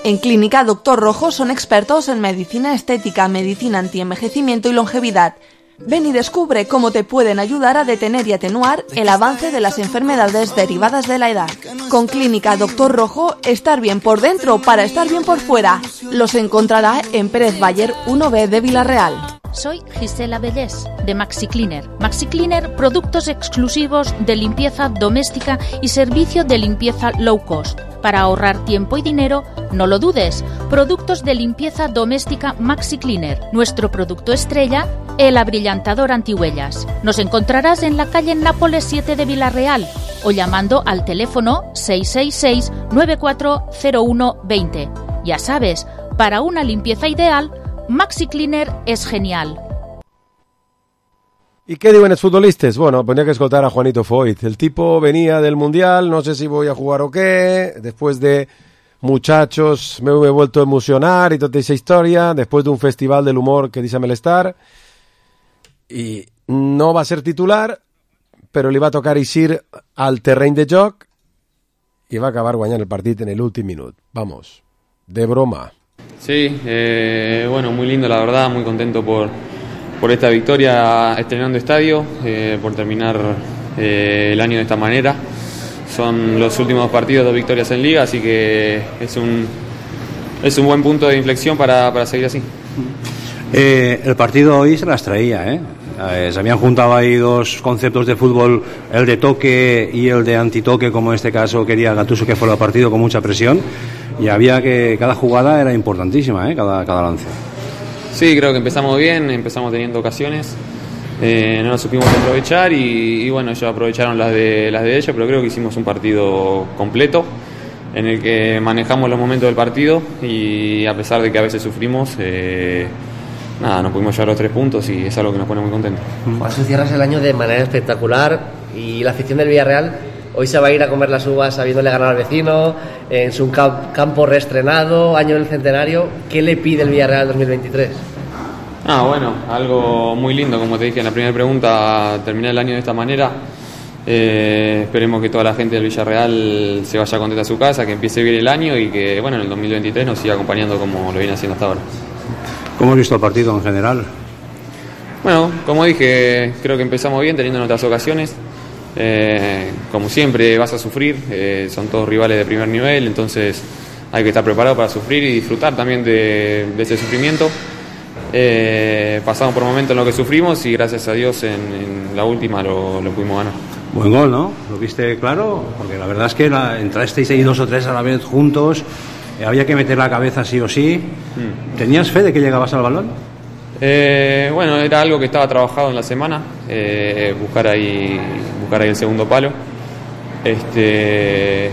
En Clínica Doctor Rojo son expertos en medicina estética, medicina antienvejecimiento y longevidad. Ven y descubre cómo te pueden ayudar a detener y atenuar el avance de las enfermedades derivadas de la edad. Con Clínica Doctor Rojo, estar bien por dentro para estar bien por fuera. Los encontrará en Pérez Bayer uno B de Vila-real. Soy Gisela Bellés, de Maxi Cleaner. Maxi Cleaner, productos exclusivos de limpieza doméstica y servicio de limpieza low cost. Para ahorrar tiempo y dinero, no lo dudes. Productos de limpieza doméstica Maxi Cleaner. Nuestro producto estrella, el abrillantador antihuellas. Nos encontrarás en la calle Nápoles siete de Vila-real o llamando al teléfono seis seis seis nueve cuatro cero uno dos cero. Ya sabes, para una limpieza ideal, Maxi Cleaner es genial. ¿Y qué diuen els futbolistes? Bueno, ponía que escoltar a Juanito Foyt. El tipo venía del Mundial, no sé si voy a jugar o qué, después de muchachos me he vuelto a emocionar y toda esa historia, después de un festival del humor que dice Melestar, y no va a ser titular, però li va tocar eixir al terreny de joc i va acabar guanyant el partit en el últim minut. Vamos, de broma. Sí, eh, bueno, muy lindo la verdad, muy contento por, por esta victoria estrenando estadio, eh, por terminar eh, el año de esta manera. Son los últimos partidos, dos victorias en Liga, así que es un, es un buen punto de inflexión para, para seguir así. Eh, el partido hoy se las traía, ¿eh? Eh, se habían juntado ahí dos conceptos de fútbol, el de toque y el de antitoque, como en este caso quería Gattuso que fuera el partido con mucha presión, y había que cada jugada era importantísima, ¿eh? cada, cada lance. Sí, creo que empezamos bien, empezamos teniendo ocasiones, eh, no las supimos aprovechar y, y bueno, ellos aprovecharon las de, las de ellos, pero creo que hicimos un partido completo en el que manejamos los momentos del partido y a pesar de que a veces sufrimos, eh, nada, no pudimos llevar los tres puntos y es algo que nos pone muy contentos. Juansu, cierras el año de manera espectacular y la afición del Villarreal hoy se va a ir a comer las uvas habiéndole ganado al vecino, en su campo reestrenado, año del centenario. ¿Qué le pide el Villarreal dos mil veintitrés? Ah, bueno, algo muy lindo, como te dije en la primera pregunta, terminar el año de esta manera. Eh, esperemos que toda la gente del Villarreal se vaya contenta a su casa, que empiece bien el año y que bueno, en el dos mil veintitrés nos siga acompañando como lo viene haciendo hasta ahora. ¿Cómo has visto el partido en general? Bueno, como dije, creo que empezamos bien teniendo nuestras ocasiones. Eh, como siempre vas a sufrir, eh, son todos rivales de primer nivel, entonces hay que estar preparado para sufrir y disfrutar también de, de ese sufrimiento. Eh, pasamos por momentos en los que sufrimos y gracias a Dios en, en la última lo, lo pudimos ganar. Buen gol, ¿no? ¿Lo viste claro? Porque la verdad es que la, entrasteis ahí dos o tres a la vez juntos, eh, había que meter la cabeza sí o sí. Mm. ¿Tenías fe de que llegabas al balón? Eh, bueno, era algo que estaba trabajado en la semana, eh, buscar ahí buscar ahí el segundo palo. Este,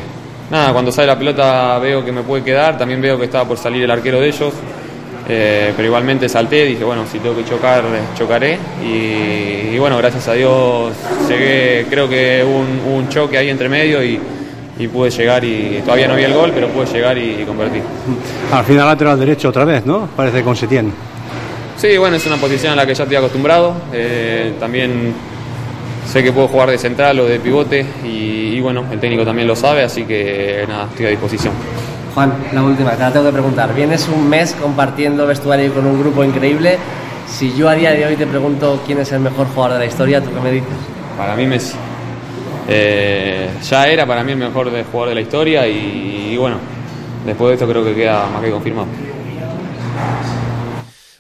nada, cuando sale la pelota veo que me puede quedar, también veo que estaba por salir el arquero de ellos, eh, pero igualmente salté, dije bueno, si tengo que chocar, chocaré y, y bueno, gracias a Dios llegué, creo que hubo un, un choque ahí entre medio y, y pude llegar y todavía no había el gol, pero pude llegar y, y convertir. Al final lateral derecho otra vez, ¿no? Parece con Setién. Sí, bueno, es una posición a la que ya estoy acostumbrado, eh, también sé que puedo jugar de central o de pivote y, y bueno, el técnico también lo sabe, así que nada, estoy a disposición. Juan, la última, te la tengo que preguntar, vienes un mes compartiendo vestuario con un grupo increíble, si yo a día de hoy te pregunto quién es el mejor jugador de la historia, ¿tú qué me dices? Para mí Messi, eh, ya era para mí el mejor jugador de la historia y, y bueno, después de esto creo que queda más que confirmado.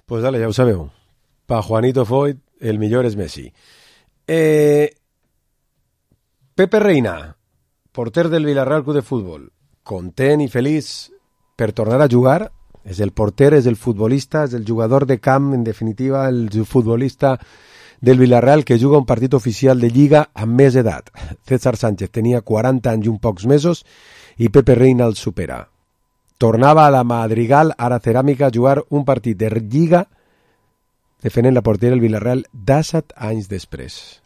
Pues dale, ja ho sabeu. Pa Juanito Foyt, el millor és Messi. Eh, Pepe Reina, porter del Villarreal Club de Futbol, content i feliç per tornar a jugar. És el porter, és el futbolista, és el jugador de camp, en definitiva, el futbolista del Villarreal que juga un partit oficial de Lliga amb més edat. César Sánchez tenia quaranta anys i un pocs mesos i Pepe Reina el supera. Tornava a la Madrigal, ara Ceràmica, a jugar un partit de Lliga defendent la porteria del Villarreal disset anys després.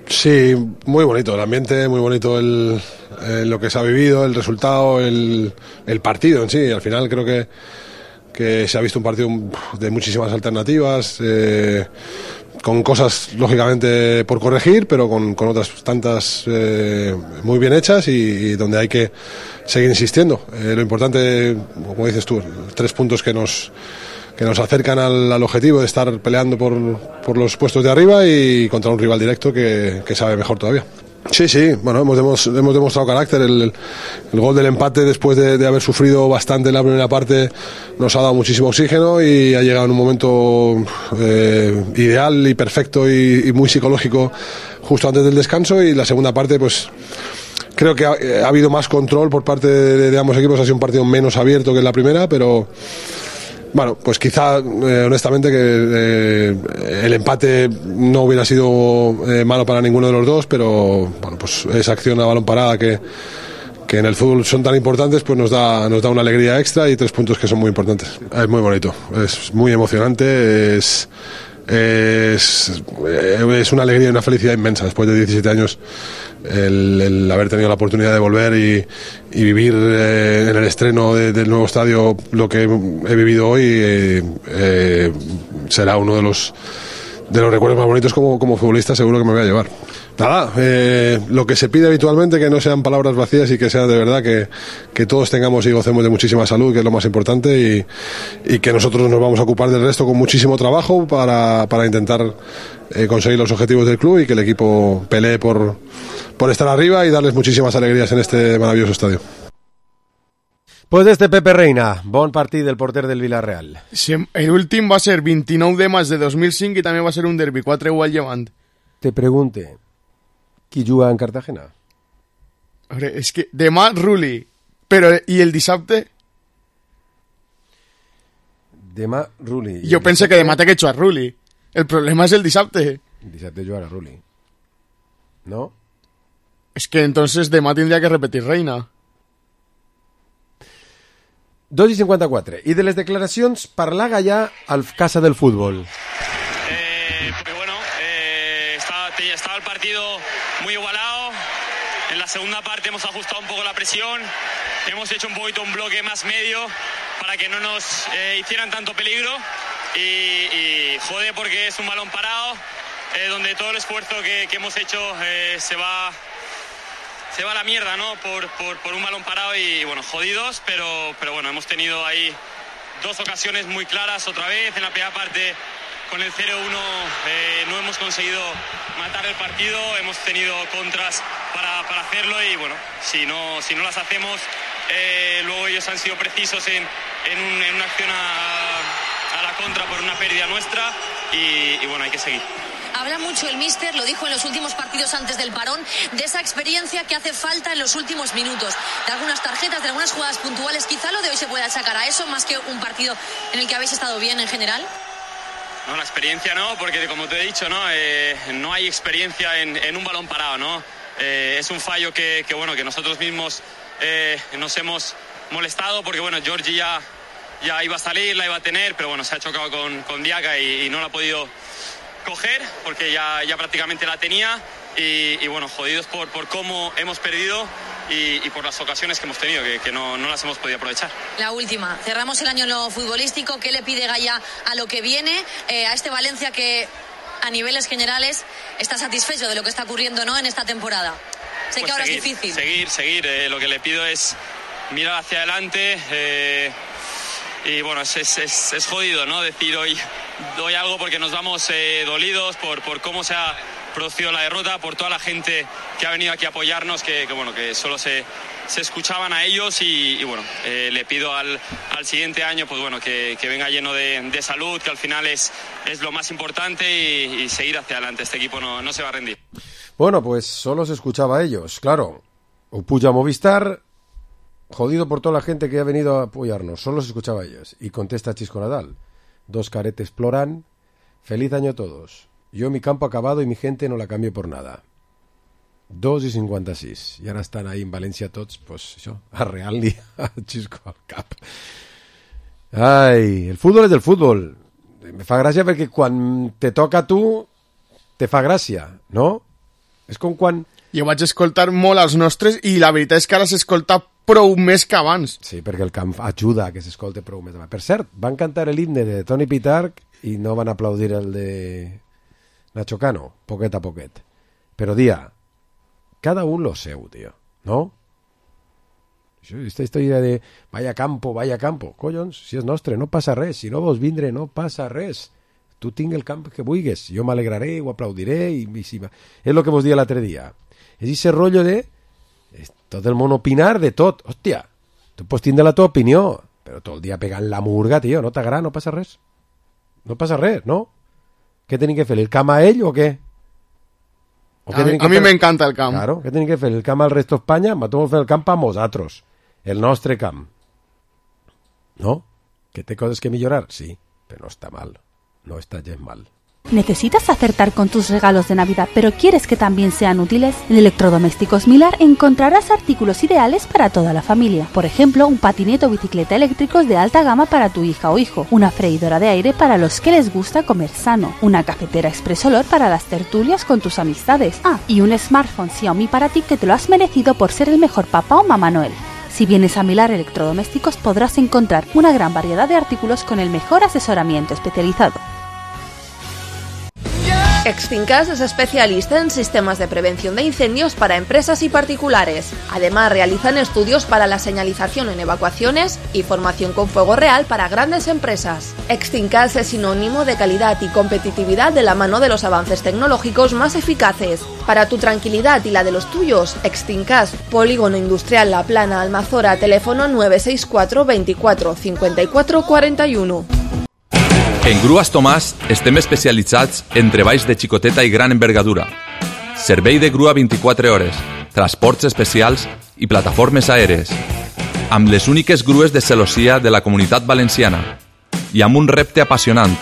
Sí, muy bonito el ambiente, muy bonito el, eh, lo que se ha vivido, el resultado, el, el partido en sí. Al final creo que, que se ha visto un partido de muchísimas alternativas, eh, con cosas lógicamente por corregir, pero con, con otras tantas eh, muy bien hechas y, y donde hay que seguir insistiendo. Eh, lo importante, como dices tú, tres puntos que nos que nos acercan al, al objetivo de estar peleando por, por los puestos de arriba y contra un rival directo que, que sabe mejor todavía. Sí, sí, bueno, hemos, hemos, hemos demostrado carácter. El, el gol del empate después de, de haber sufrido bastante en la primera parte nos ha dado muchísimo oxígeno y ha llegado en un momento eh, ideal y perfecto y, y muy psicológico justo antes del descanso, y la segunda parte pues creo que ha, ha habido más control por parte de, de ambos equipos. Ha sido un partido menos abierto que en la primera, pero bueno, pues quizá eh, honestamente que eh, el empate no hubiera sido eh, malo para ninguno de los dos, pero bueno, pues esa acción a balón parada que, que en el fútbol son tan importantes, pues nos da, nos da una alegría extra y tres puntos que son muy importantes. Es muy bonito, es muy emocionante, es, es, es una alegría y una felicidad inmensa después de diecisiete años el, el haber tenido la oportunidad de volver y, y vivir eh, en el estreno de, del nuevo estadio lo que he vivido hoy. eh, eh, será uno de los de los recuerdos más bonitos como, como futbolista, seguro que me voy a llevar. Nada, eh, lo que se pide habitualmente, que no sean palabras vacías y que sea de verdad que, que todos tengamos y gocemos de muchísima salud, que es lo más importante, y, y que nosotros nos vamos a ocupar del resto con muchísimo trabajo para, para intentar eh, conseguir los objetivos del club y que el equipo pelee por, por estar arriba y darles muchísimas alegrías en este maravilloso estadio. Pues este Pepe Reina, bon partit del porter del Villarreal. Sí, el últim va ser vint-i-nou de maig de dos mil cinc i també va ser un derbi, quatre u al Llevant. Te pregunte, qui juga en Cartagena? A veure, és que demà Ruli, però i el dissabte? Demà Ruli. Jo penso que demà té que jugar Ruli. El problema és el dissabte. El dissabte jugarà Ruli. No? És que entonces demà tindria que repetir Reina. dos i cinquanta-quatre. I de les declaracions parlar Gallà al Casa del Fútbol. Eh, porque bueno, eh, estaba, estaba el partido muy igualado. En la segunda parte hemos ajustado un poco la presión. Hemos hecho un poquito un bloque más medio para que no nos eh, hicieran tanto peligro. Y, y jode porque es un balón parado, eh, donde todo el esfuerzo que, que hemos hecho eh, se va... Se va a la mierda, ¿no? Por, por, por un balón parado y, bueno, jodidos, pero, pero bueno, hemos tenido ahí dos ocasiones muy claras otra vez. En la primera parte, con el cero uno, eh, no hemos conseguido matar el partido. Hemos tenido contras para, para hacerlo y, bueno, si no, si no las hacemos, eh, luego ellos han sido precisos en, en, un, en una acción a, a la contra por una pérdida nuestra y, y, bueno, hay que seguir. Habla mucho el míster, lo dijo en los últimos partidos antes del parón, de esa experiencia que hace falta en los últimos minutos, de algunas tarjetas, de algunas jugadas puntuales. Quizá lo de hoy se pueda sacar a eso, más que un partido en el que habéis estado bien en general. No, la experiencia no, porque como te he dicho, no, eh, no hay experiencia en, en un balón parado, ¿no? Eh, es un fallo que, que, bueno, que nosotros mismos eh, nos hemos molestado, porque bueno, Georgie ya, ya iba a salir, la iba a tener, pero bueno, se ha chocado con, con Diaca y, y no la ha podido coger porque ya, ya prácticamente la tenía y, y bueno, jodidos por, por cómo hemos perdido y, y por las ocasiones que hemos tenido, que, que no, no las hemos podido aprovechar. La última, cerramos el año en lo futbolístico. ¿Qué le pide Gallà a lo que viene, eh, a este Valencia que a niveles generales está satisfecho de lo que está ocurriendo, ¿no?, en esta temporada? Sé Pues que ahora seguir, es difícil. Seguir, seguir. Eh, lo que le pido es mirar hacia adelante. Eh, y bueno, es, es, es, es jodido, ¿no?, decir hoy, hoy algo porque nos vamos eh, dolidos por, por cómo se ha producido la derrota, por toda la gente que ha venido aquí a apoyarnos, que, que bueno, que solo se, se escuchaban a ellos y, y bueno, eh, le pido al, al siguiente año, pues bueno, que, que venga lleno de, de salud, que al final es, es lo más importante y, y seguir hacia adelante. Este equipo no, no se va a rendir. Bueno, pues solo se escuchaba a ellos, claro. O puja Movistar, jodido por toda la gente que ha venido a apoyarnos, solo se escuchaba a ellos. Y contesta Chisco Nadal, dos caretes ploran, feliz año a todos. Yo mi campo acabado y mi gente no la cambio por nada. dos i cinquanta-sis. I ara estan ahí en València tots, pues això, a Real-li a Xisco al cap. Ai, el futbol és del futbol. Me fa gràcia perquè quan te toca a tu, te fa gràcia, no? És com quan... Jo vaig escoltar molt els nostres i la veritat és que ara s'escolta prou més que abans. Sí, perquè el camp ajuda a que s'escolte prou més. Per cert, van cantar l'himne de Toni Pitarch i no van aplaudir el de Nacho Cano, poquet a poquet. Però, dia, cada un lo seu, tio, no? Aquesta història de vaya campo, vaya campo, collons, si és nostre, no passa res, si no vols vindre, no passa res. Tu tinc el camp que vulguis, jo m'alegraré, ho aplaudiré, i, i si... és el que vos dia l'altre dia. És aquest rotllo de tot el món opinar de tot. Hòstia, tu pots tindre la teva opinió, però tot el dia pegant la murga, tio, no t'agrada, no passa res. No passa res, no? Què tenim que fer, el camp a ell o què? O a mi, a mi m'encanta el camp. Claro, què tenim que fer, el camp al resto d'Espanya? M'atom fer el camp a nosaltres, el nostre camp. No? Que té coses que millorar? Sí, però no està mal. No està gens mal. ¿Necesitas acertar con tus regalos de Navidad, pero quieres que también sean útiles? En Electrodomésticos Milar encontrarás artículos ideales para toda la familia. Por ejemplo, un patinete o bicicleta eléctricos de alta gama para tu hija o hijo, una freidora de aire para los que les gusta comer sano, una cafetera Express Olor para las tertulias con tus amistades. Ah, y un smartphone Xiaomi para ti que te lo has merecido por ser el mejor papá o mamá Noel. Si vienes a Milar Electrodomésticos podrás encontrar una gran variedad de artículos con el mejor asesoramiento especializado. Extincas es especialista en sistemas de prevención de incendios para empresas y particulares. Además, realizan estudios para la señalización en evacuaciones y formación con fuego real para grandes empresas. Extincas es sinónimo de calidad y competitividad de la mano de los avances tecnológicos más eficaces. Para tu tranquilidad y la de los tuyos, Extincas, Polígono Industrial La Plana, Almazora, teléfono nueve seis cuatro veinticuatro cincuenta y cuatro cuarenta y uno. En Grues Tomàs estem especialitzats en treballs de xicoteta i gran envergadura, servei de grua vint-i-quatre hores, transports especials i plataformes aèries, amb les úniques grues de celossia de la Comunitat Valenciana i amb un repte apassionant,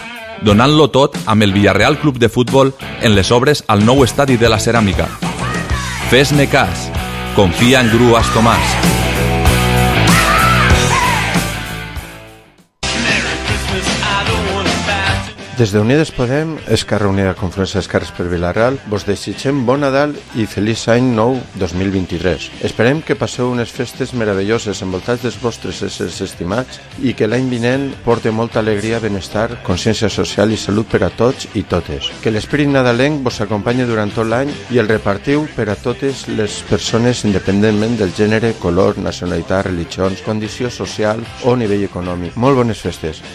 donant-lo tot amb el Villarreal Club de Futbol en les obres al nou estadi de la Ceràmica. Fes-me cas, confia en Grues Tomàs. Des d'Unides Podem, Esquerra Unida Confluència d'Esquerres per Vila-real, vos desitgem bon Nadal i feliç any nou dos mil vint-i-tres. Esperem que passeu unes festes meravelloses envoltats dels vostres éssers estimats i que l'any vinent porte molta alegria, benestar, consciència social i salut per a tots i totes. Que l'esperit nadalenc vos acompanyi durant tot l'any i el repartiu per a totes les persones independentment del gènere, color, nacionalitat, religions, condició social o nivell econòmic. Molt bones festes.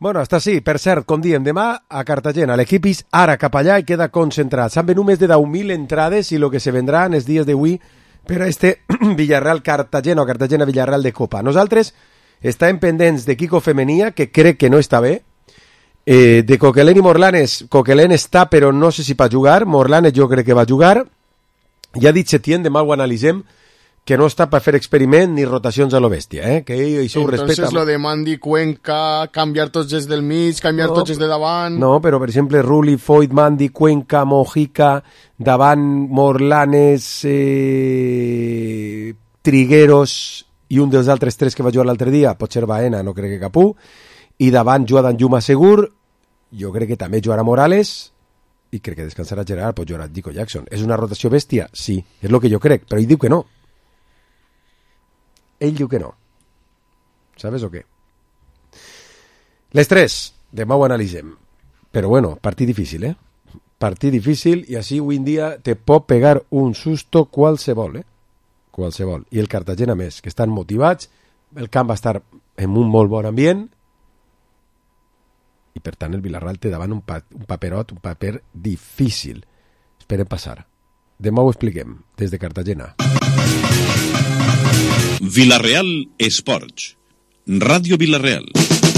Bueno, hasta sí, per cert, com diem, demà a Cartagena, l'equip és ara cap allà i queda concentrat. S'han venut més de deu mil entrades i el que se vendrà en els dies d'avui per a este Villarreal-Cartagena o Cartagena-Villarreal de Copa. Nosaltres estàvem pendents de Kiko Femenia, que crec que no està bé, eh, de Coquelén i Morlanes. Coquelén està, però no sé si va jugar. Morlanes jo crec que va jugar. Ja ha dit Setién, demà ho analitzem, que no està per fer experiment ni rotacions a lo bèstia, eh? Que això ho respecta. Entonces lo de Mandy, Cuenca, canviar tots els del mig, canviar no, tots els de davant... No, però per exemple Rulli, Foyt, Mandy, Cuenca, Mojica, davant Morlanes, eh, Trigueros i un dels altres tres que va jugar l'altre dia, potser Baena, no crec que Capú, i davant Joan Juma Segur, jo crec que també jugarà Morales i crec que descansarà Gerard, pot jugar Dico Jackson. És una rotació bèstia? Sí, és el que jo crec, però ell diu que no. Ell diu que no. ¿Sabes o qué? Les tres, demà ho analitzem. Però bueno, partit difícil, eh? Partit difícil i així avui en dia te pot pegar un susto qualsevol, eh? Qualsevol. I el Cartagena més, que estan motivats, el camp va estar en un molt bon ambient i per tant el Villarreal té davant un, pa un paperot, un paper difícil. Esperem passar. Demà ho expliquem, des de Cartagena. Villarreal Esports. Ràdio Villarreal.